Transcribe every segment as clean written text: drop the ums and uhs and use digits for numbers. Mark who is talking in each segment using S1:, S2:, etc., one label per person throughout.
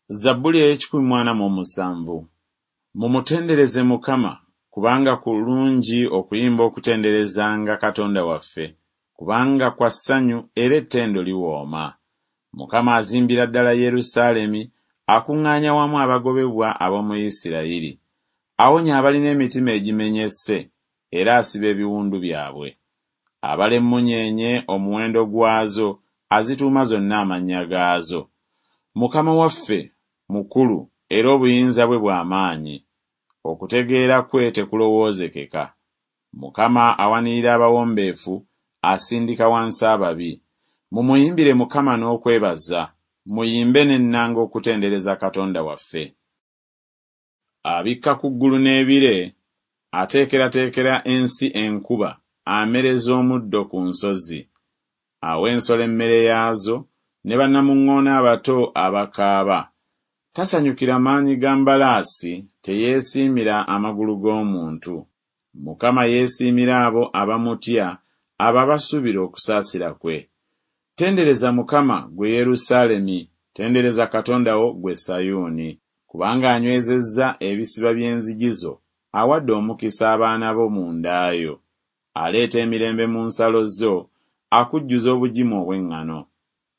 S1: Zabbuli ey'ekikumi mu ana mu omusanvu. Mumutendereze Mukama, kubanga kulungi okuyimba okutenderezanga Katonda waffe, kubanga kwa ssanyu era ettendo liwooma. Mukama azimbira ddala Yerusaalemi, akuŋŋaanya wamu abagobebwa ab'omu Isirayiri. Awonya abalina emitima egimenyese, era asiba ebiwundu byabwe. Abala emmunyeenye omuwendo gwazo, azituuma zonna amannya gaazo. Mukama waffe mukulu era obuyinza bwe bwa maanyi. Okutegeera kwe tekulowoozekeka. Mukama awanirira abawombeefu, asindika wansi ababi. Mumuyimbire Mukama n'okwebaza, muyimbe n'ennanga okutendereza Katonda waffe. Abikka ku ggulu n'ebire, ateekerateekera ensi enkuba, amereza omuddo ku nsozi. Awa ensolo emmere yaazo, ne bannamuŋŋoona abato abakaaba. Tasanyukira maanyi ga mbalaasi, teyeesiimira amagulu g'omuntu. Mukama yeesiimira abo abamutya, abo abasuubira okusaasira kwe. Tendereza Mukama, ggwe Yerusaalemi, tendereza Katonda wo, ggwe Sayuuni. Kubanga anywezezza ebisiba by'enzigi zo, awadde omukisa abaana bo mu nda yo. Aleeta emirembe mu nsalo zo, akujjuza obugimu obw'eŋŋano.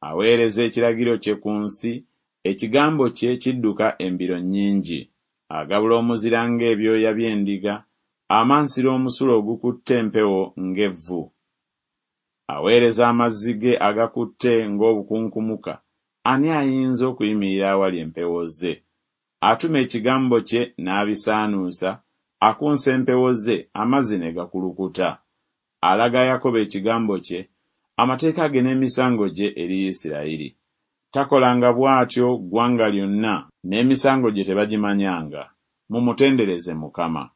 S1: Aweereza ekiragiro kye ku nsi, ekigambo kye kidduka embiro nnyingi. Agabula omuzira ng'ebyoya by'endiga, amansira omusulo ogukutte empewo ng'evvu. Aweereza amazzi ge agakutte ng'obukunkumuka, ani ayinza okuyimirira awali empewo ze? Atuma ekigambo kye n'abisaanuusa, akunsa empewo ze, amazzi ne gakulukuta. Alaga Yakobo ekigambo kye, amateeka ge n'emisango gye eri Isirayiri. Takolanga bw'atyo ggwanga lyonna, n'emisango gye tebagimanyanga. Mumutendereze Mukama.